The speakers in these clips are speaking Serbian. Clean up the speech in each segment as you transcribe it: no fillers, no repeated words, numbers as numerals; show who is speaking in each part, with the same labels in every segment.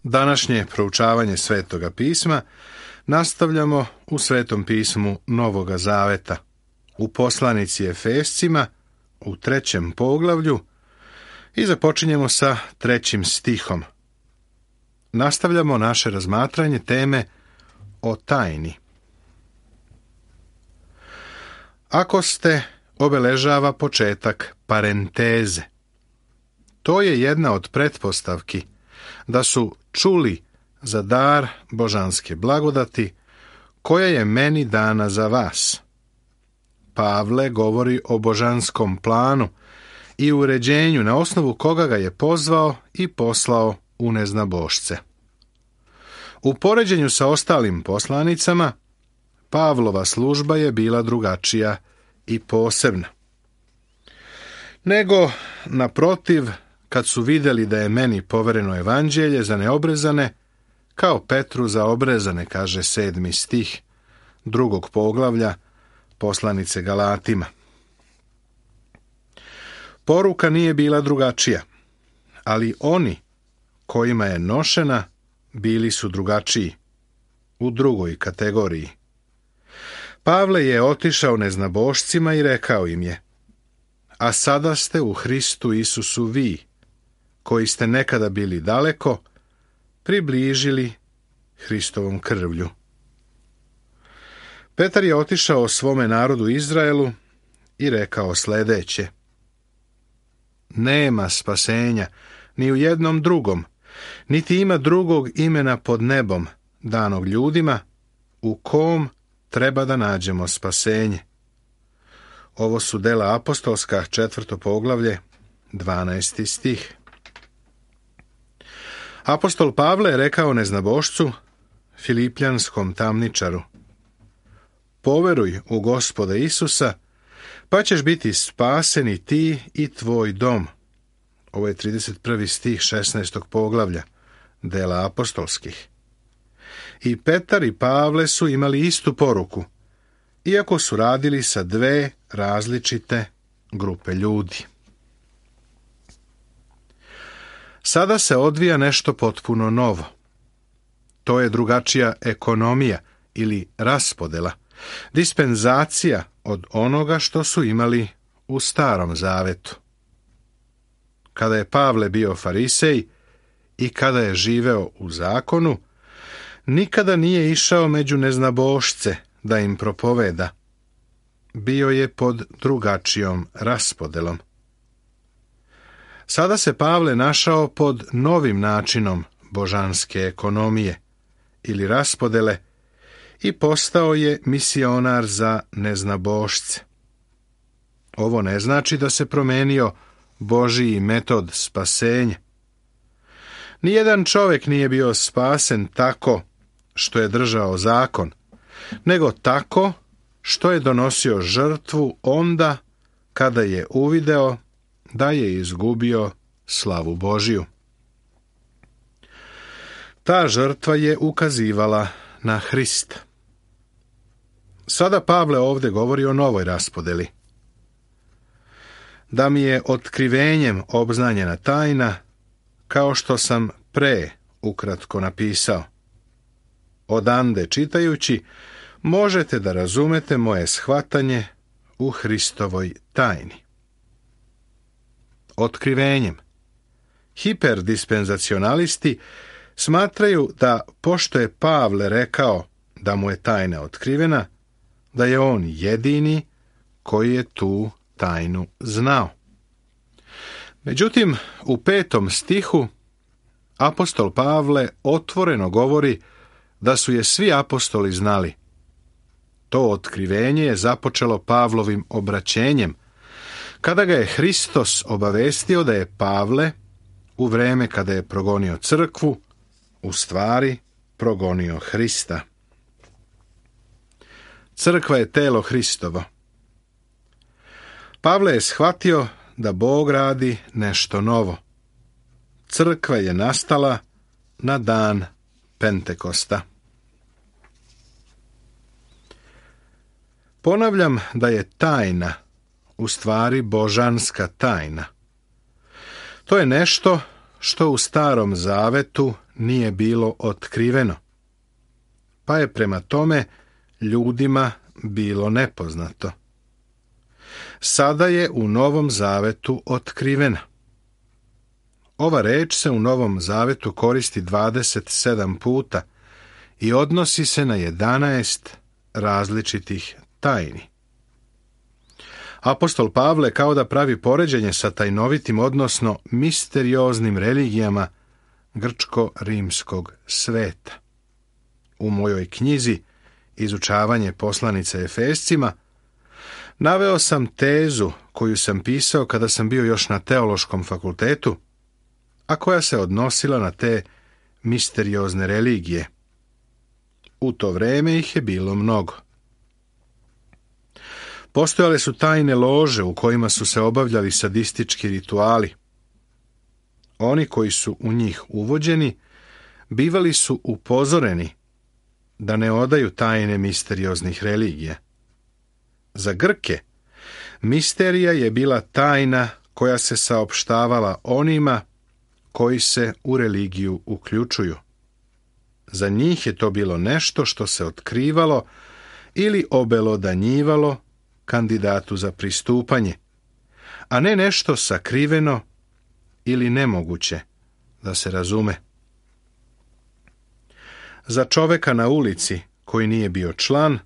Speaker 1: Današnje proučavanje Svetoga pisma nastavljamo u Svetom pismu Novoga Zaveta, u poslanici Efescima, u 3. poglavlju i započinjemo sa 3. stihom. Nastavljamo naše razmatranje teme o tajni. Ako ste, obeležava početak parenteze. To je jedna od pretpostavki da su čuli za dar božanske blagodati koja je meni dana za vas. Pavle govori o božanskom planu i uređenju na osnovu koga ga je pozvao i poslao u neznabošce. U poređenju sa ostalim poslanicama, Pavlova služba je bila drugačija i posebna. Nego, naprotiv, kad su vidjeli da je meni povereno evanđelje za neobrezane, kao Petru za obrezane, kaže 7. stih 2. poglavlja poslanice Galatima. Poruka nije bila drugačija, ali oni kojima je nošena bili su drugačiji, u drugoj kategoriji. Pavle je otišao neznabošcima i rekao im je: a sada ste u Hristu Isusu vi, koji ste nekada bili daleko, približili Hristovom krvlju. Petar je otišao svome narodu Izraelu i rekao sljedeće: nema spasenja ni u jednom drugom, niti ima drugog imena pod nebom danog ljudima u kom treba da nađemo spasenje. Ovo su Dela apostolska, 4. poglavlje, 12. stih. Apostol Pavle je rekao neznabošcu, Filipljanskom tamničaru: poveruj u Gospoda Isusa, pa ćeš biti spasen i ti i tvoj dom. Ovo je 31. stih 16. poglavlja Dela apostolskih. I Petar i Pavle su imali istu poruku, iako su radili sa dve različite grupe ljudi. Sada se odvija nešto potpuno novo. To je drugačija ekonomija ili raspodela, dispenzacija od onoga što su imali u Starom Zavetu. Kada je Pavle bio farisej i kada je živeo u zakonu, nikada nije išao među neznabošce da im propoveda. Bio je pod drugačijom raspodelom. Sada se Pavle našao pod novim načinom božanske ekonomije ili raspodele i postao je misionar za neznabošce. Ovo ne znači da se promenio Božji metod spasenja. Nijedan čovjek nije bio spasen tako što je držao zakon, nego tako što je donosio žrtvu onda kada je uvideo da je izgubio slavu Božju. Ta žrtva je ukazivala na Hrista. Sada Pavle ovdje govori o novoj raspodeli. Da mi je otkrivenjem obznanjena tajna, kao što sam pre ukratko napisao. Odande čitajući, možete da razumete moje shvatanje u Hristovoj tajni. Otkrivenjem. Hiperdispenzacionalisti smatraju da, pošto je Pavle rekao da mu je tajna otkrivena, da je on jedini koji je tu tajnu znao. Međutim, u 5. stihu apostol Pavle otvoreno govori da su je svi apostoli znali. To otkrivenje je započelo Pavlovim obraćenjem, kada ga je Hristos obavestio da je Pavle, u vreme kada je progonio crkvu, u stvari progonio Hrista. Crkva je telo Hristovo. Pavle je shvatio da Bog radi nešto novo. Crkva je nastala na dan Pentekosta. Ponavljam da je tajna u stvari božanska tajna. To je nešto što u Starom Zavetu nije bilo otkriveno, pa je prema tome ljudima bilo nepoznato. Sada je u Novom Zavetu otkrivena. Ova reč se u Novom Zavetu koristi 27 puta i odnosi se na 11 različitih tajni. Apostol Pavle kao da pravi poređenje sa tajnovitim, odnosno misterioznim religijama grčko-rimskog sveta. U mojoj knjizi Izučavanje poslanice Efescima naveo sam tezu koju sam pisao kada sam bio još na teološkom fakultetu, a koja se odnosila na te misteriozne religije. U to vreme ih je bilo mnogo. Postojale su tajne lože u kojima su se obavljali sadistički rituali. Oni koji su u njih uvođeni bivali su upozoreni da ne odaju tajne misterioznih religija. Za Grke misterija je bila tajna koja se saopštavala onima koji se u religiju uključuju. Za njih je to bilo nešto što se otkrivalo ili obelodanjivalo kandidatu za pristupanje, a ne nešto sakriveno ili nemoguće da se razume. Za čoveka na ulici koji nije bio član,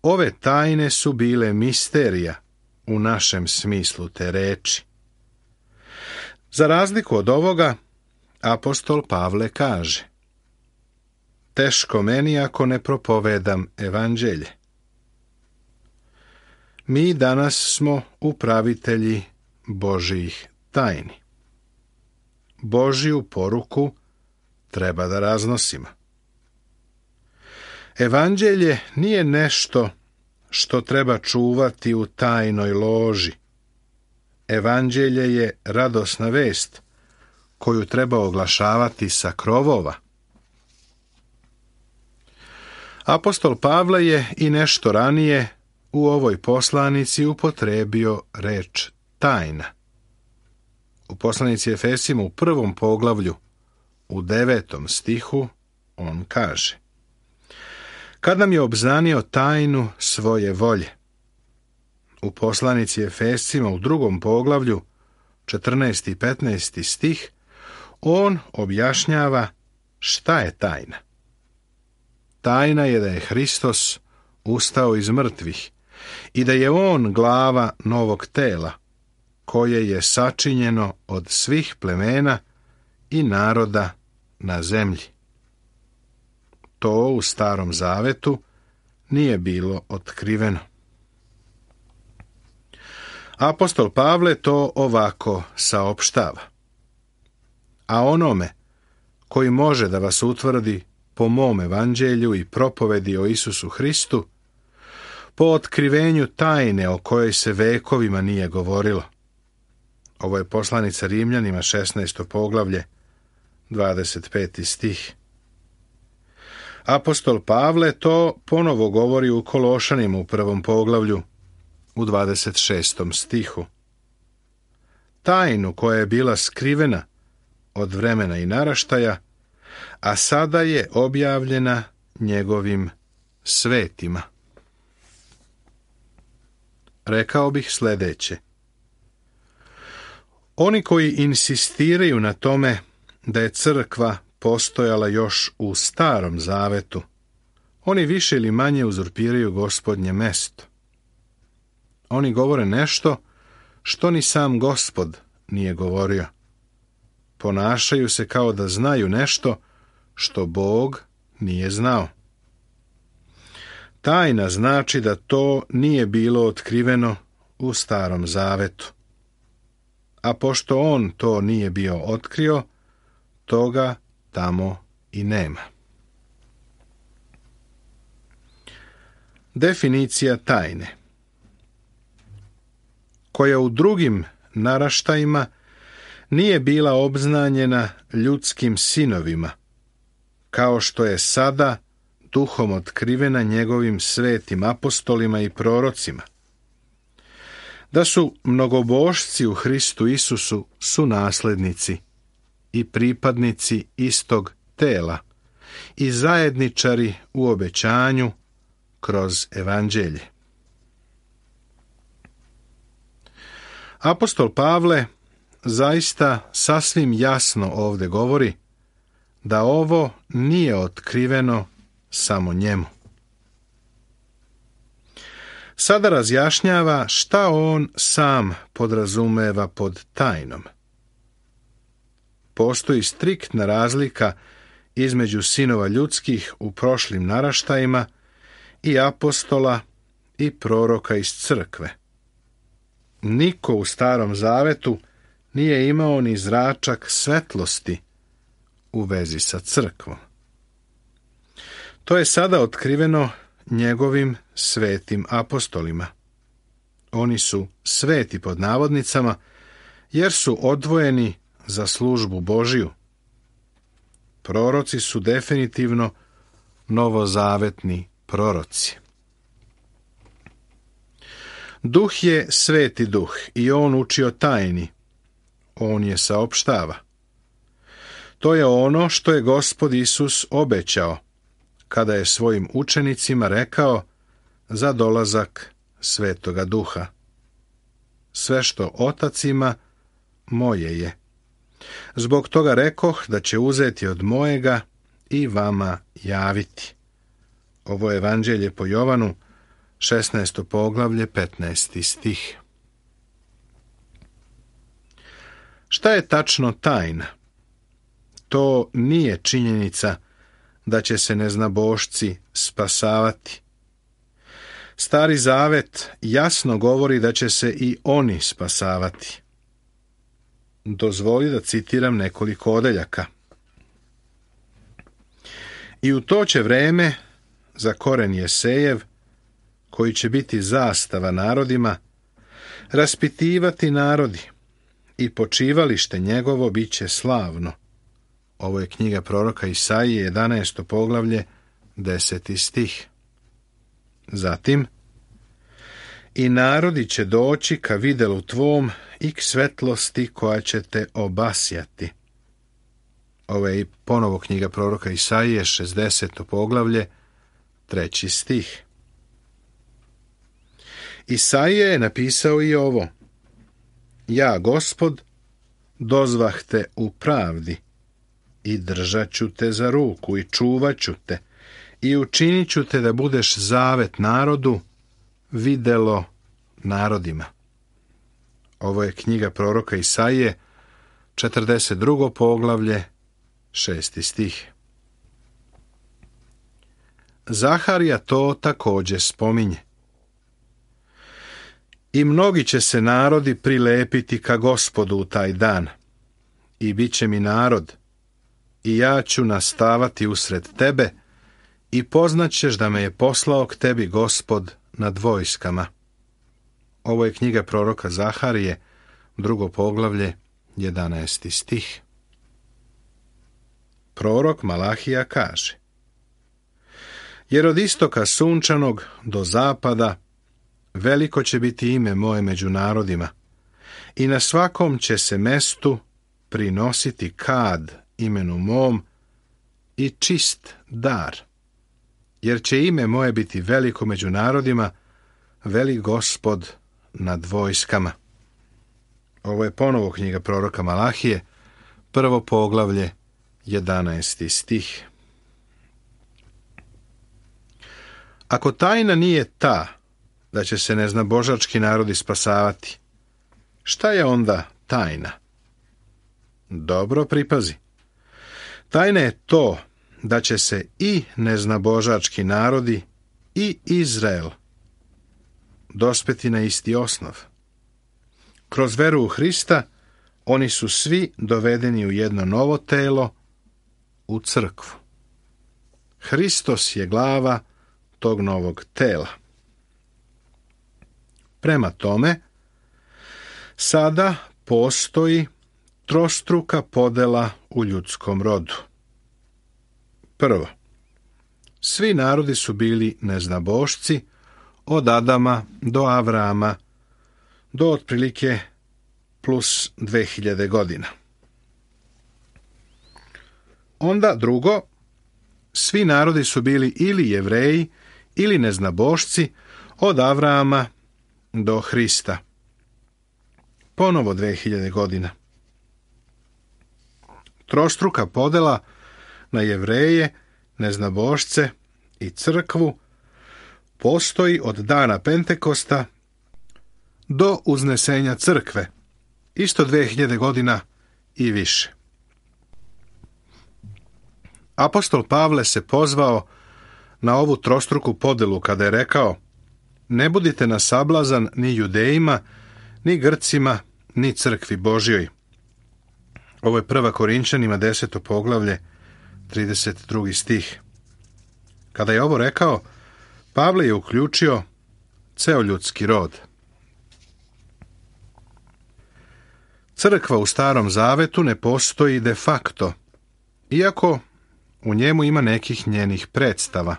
Speaker 1: ove tajne su bile misterija u našem smislu te reči. Za razliku od ovoga, apostol Pavle kaže: teško meni ako ne propovedam evanđelje. Mi danas smo upravitelji Božjih tajni. Božju poruku treba da raznosimo. Evanđelje nije nešto što treba čuvati u tajnoj loži. Evanđelje je radosna vest koju treba oglašavati sa krovova. Apostol Pavle je i nešto ranije u ovoj poslanici upotrebio reč tajna. U poslanici Efesima u 1. poglavlju, u 9. stihu, on kaže: kad nam je obznanio tajnu svoje volje. U poslanici Efesima u 2. poglavlju, 14. i 15. stih, on objašnjava šta je tajna. Tajna je da je Hristos ustao iz mrtvih i da je on glava novog tela, koje je sačinjeno od svih plemena i naroda na zemlji. To u Starom Zavetu nije bilo otkriveno. Apostol Pavle to ovako saopštava: a onome koji može da vas utvrdi po mom evanđelju i propovedi o Isusu Hristu, po otkrivenju tajne o kojoj se vekovima nije govorilo. Ovo je poslanica Rimljanima, 16. poglavlje, 25. stih. Apostol Pavle to ponovo govori u Kološanima u 1. poglavlju, u 26. stihu. Tajnu koja je bila skrivena od vremena i naraštaja, a sada je objavljena njegovim svetima. Rekao bih sljedeće: oni koji insistiraju na tome da je crkva postojala još u Starom Zavetu, oni više ili manje uzurpiraju Gospodnje mesto. Oni govore nešto što ni sam Gospod nije govorio. Ponašaju se kao da znaju nešto što Bog nije znao. Tajna znači da to nije bilo otkriveno u Starom Zavetu. A pošto on to nije bio otkrio, toga tamo i nema. Definicija tajne, koja u drugim naraštajima nije bila obznanjena ljudskim sinovima, kao što je sada duhom otkrivena njegovim svetim apostolima i prorocima. Da su mnogobožci u Hristu Isusu su naslednici i pripadnici istog tela i zajedničari u obećanju kroz evanđelje. Apostol Pavle zaista sasvim jasno ovdje govori da ovo nije otkriveno samo njemu. Sada razjašnjava šta on sam podrazumeva pod tajnom. Postoji striktna razlika između sinova ljudskih u prošlim naraštajima i apostola i proroka iz crkve. Niko u Starom Zavetu nije imao ni zračak svetlosti u vezi sa crkvom. To je sada otkriveno njegovim svetim apostolima. Oni su sveti pod navodnicama, jer su odvojeni za službu Božiju. Proroci su definitivno novozavetni proroci. Duh je sveti duh i on uči o tajni. On je saopštava. To je ono što je Gospod Isus obećao kada je svojim učenicima rekao za dolazak Svetoga Duha. Sve što Otac ima, moje je. Zbog toga rekoh da će uzeti od mojega i vama javiti. Ovo je evanđelje po Jovanu, 16. poglavlje, 15. stih. Šta je tačno tajna? To nije činjenica da će se neznabošci spasavati. Stari Zavet jasno govori da će se i oni spasavati. Dozvoli da citiram nekoliko odeljaka. I u to će vreme za koren Jesejev, koji će biti zastava narodima, raspitivati narodi i počivalište njegovo bit će slavno. Ovo je knjiga proroka Isaije, 11. poglavlje, 10. stih. Zatim, i narodi će doći ka videlu tvom i k svetlosti koja će te obasjati. Ovo je ponovo knjiga proroka Isaije, 60. poglavlje, 3. stih. Isaija je napisao i ovo. Ja, Gospod, dozvah te u pravdi i držat ću te za ruku i čuvat ću te i učinit ću te da budeš zavet narodu, videlo narodima. Ovo je knjiga proroka Isaije, 42. poglavlje, 6. stih. Zaharija to također spominje. I mnogi će se narodi prilepiti ka Gospodu u taj dan. I bit će mi narod, i ja ću nastavati usred tebe, i poznaćeš da me je poslao k tebi Gospod nad vojskama. Ovo je knjiga proroka Zaharije, 2. poglavlje, 11. stih. Prorok Malahija kaže: jer od istoka sunčanog do zapada veliko će biti ime moje među narodima, i na svakom će se mestu prinositi kad imenu mom i čist dar, jer će ime moje biti veliko među narodima, veli Gospod nad vojskama. Ovo je ponovo knjiga proroka Malahije, 1. poglavlje, 11. stih. Ako tajna nije ta da će se neznabožački narodi spasavati, šta je onda tajna? Dobro pripazi. Tajna je to da će se i neznabožački narodi i Izrael dospeti na isti osnov. Kroz veru u Hrista oni su svi dovedeni u jedno novo telo, u crkvu. Hristos je glava tog novog tela. Prema tome, sada postoji trostruka podela u ljudskom rodu. Prvo, svi narodi su bili neznabošci od Adama do Avrama, do otprilike plus 2000 godina. Onda drugo, svi narodi su bili ili Jevreji ili neznabošci od Avrama do Hrista. Ponovo 2000 godina. Trostruka podela na Jevreje, neznabošce i crkvu postoji od dana Pentekosta do uznesenja crkve, isto 2000 godina i više. Apostol Pavle se pozvao na ovu trostruku podelu kada je rekao: ne budite na sablazan ni Judejima, ni Grcima, ni crkvi Božjoj. Ovo je 1. Korinčanima 10. poglavlje, 32. stih. Kada je ovo rekao, Pavle je uključio ceo ljudski rod. Crkva u Starom Zavetu ne postoji de facto, iako u njemu ima nekih njenih predstava.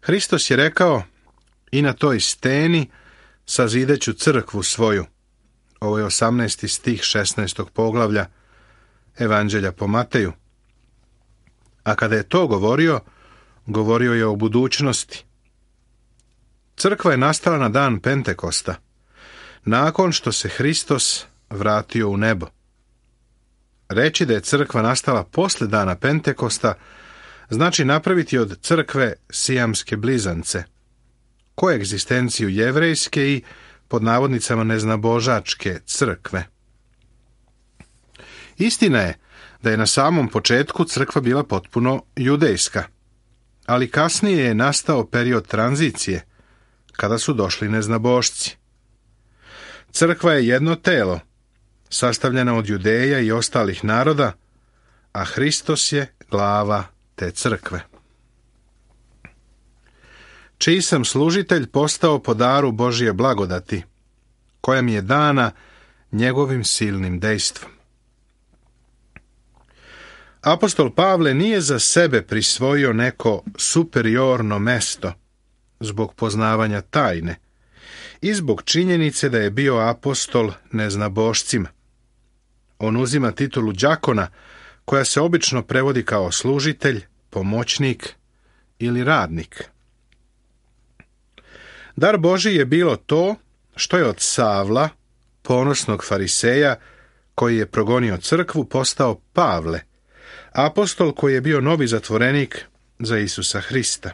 Speaker 1: Hristos je rekao: i na toj steni sazideću crkvu svoju. Ovo je 18. stih 16. poglavlja Evanđelja po Mateju. A kada je to govorio, govorio je o budućnosti. Crkva je nastala na dan Pentekosta, nakon što se Hristos vratio u nebo. Reći da je crkva nastala posle dana Pentekosta znači napraviti od crkve sijamske blizance, koegzistenciju jevrejske i, pod navodnicama, neznabožačke crkve. Istina je da je na samom početku crkva bila potpuno judejska, ali kasnije je nastao period tranzicije, kada su došli neznabošci. Crkva je jedno telo, sastavljena od Judeja i ostalih naroda, a Hristos je glava te crkve. Čiji sam služitelj postao po daru Božje blagodati, koja mi je dana njegovim silnim dejstvom. Apostol Pavle nije za sebe prisvojio neko superiorno mesto zbog poznavanja tajne i zbog činjenice da je bio apostol neznabošcima. On uzima titulu đakona, koja se obično prevodi kao služitelj, pomoćnik ili radnik. Dar Božji je bilo to što je od Savla, ponosnog fariseja, koji je progonio crkvu, postao Pavle, apostol koji je bio novi zatvorenik za Isusa Hrista.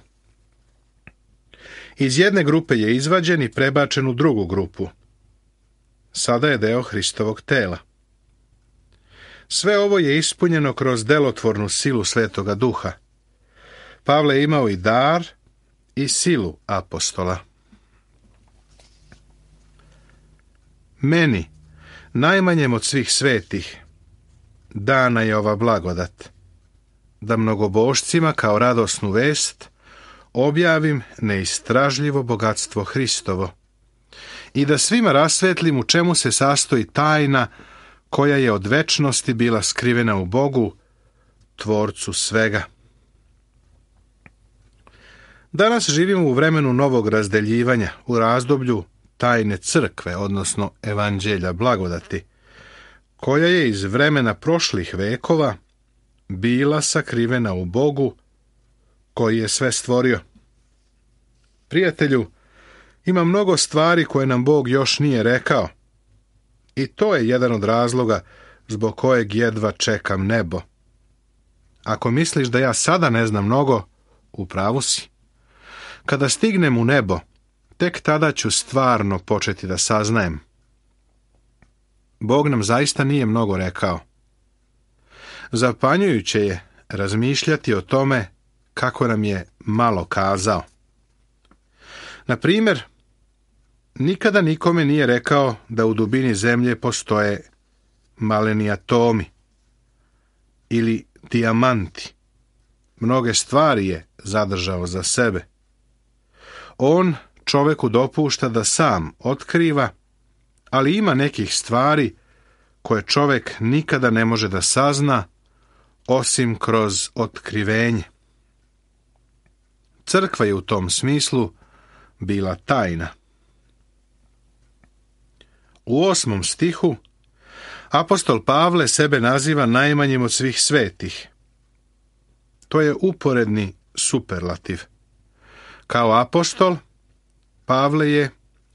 Speaker 1: Iz jedne grupe je izvađen i prebačen u drugu grupu. Sada je deo Hristovog tela. Sve ovo je ispunjeno kroz delotvornu silu Svetoga Duha. Pavle je imao i dar i silu apostola. Meni, najmanjem od svih svetih, dana je ova blagodat, da mnogobošcima kao radosnu vest objavim neistražljivo bogatstvo Hristovo i da svima rasvetlim u čemu se sastoji tajna koja je od večnosti bila skrivena u Bogu, Tvorcu svega. Danas živimo u vremenu novog razdeljivanja, u razdoblju tajne crkve, odnosno evanđelja blagodati, koja je iz vremena prošlih vekova bila sakrivena u Bogu, koji je sve stvorio. Prijatelju, ima mnogo stvari koje nam Bog još nije rekao, i to je jedan od razloga zbog kojeg jedva čekam nebo. Ako misliš da ja sada ne znam mnogo, u pravu si. Kada stignem u nebo, tek tada ću stvarno početi da saznajem. Bog nam zaista nije mnogo rekao. Zapanjujuće je razmišljati o tome kako nam je malo kazao. Na primjer, nikada nikome nije rekao da u dubini zemlje postoje maleni atomi ili dijamanti. Mnoge stvari je zadržao za sebe. On čoveku dopušta da sam otkriva, ali ima nekih stvari koje čovek nikada ne može da sazna osim kroz otkrivenje. Crkva je u tom smislu bila tajna. U 8. stihu Apostol Pavle sebe naziva najmanjim od svih svetih. To je uporedni superlativ. Kao apostol, Pavle je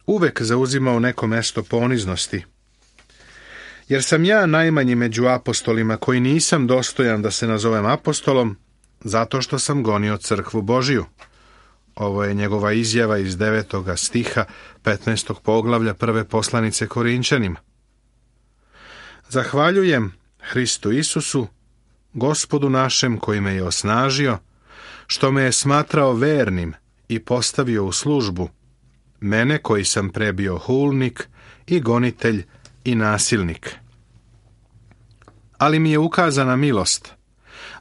Speaker 1: uvek zauzimao neko mesto poniznosti. Jer sam ja najmanji među apostolima koji nisam dostojan da se nazovem apostolom, zato što sam gonio crkvu Božiju. Ovo je njegova izjava iz 9. stiha 15. poglavlja prve poslanice Korinčanima. Zahvaljujem Hristu Isusu, Gospodu našem koji me je osnažio, što me je smatrao vernim i postavio u službu, mene koji sam pre bio hulnik i gonitelj i nasilnik. Ali mi je ukazana milost,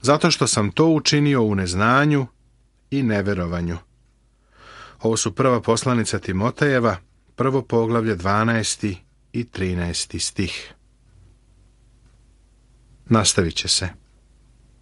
Speaker 1: zato što sam to učinio u neznanju i neverovanju. Ovo su prva poslanica Timotejeva, 1. poglavlje 12. i 13. stih. Nastavit će se.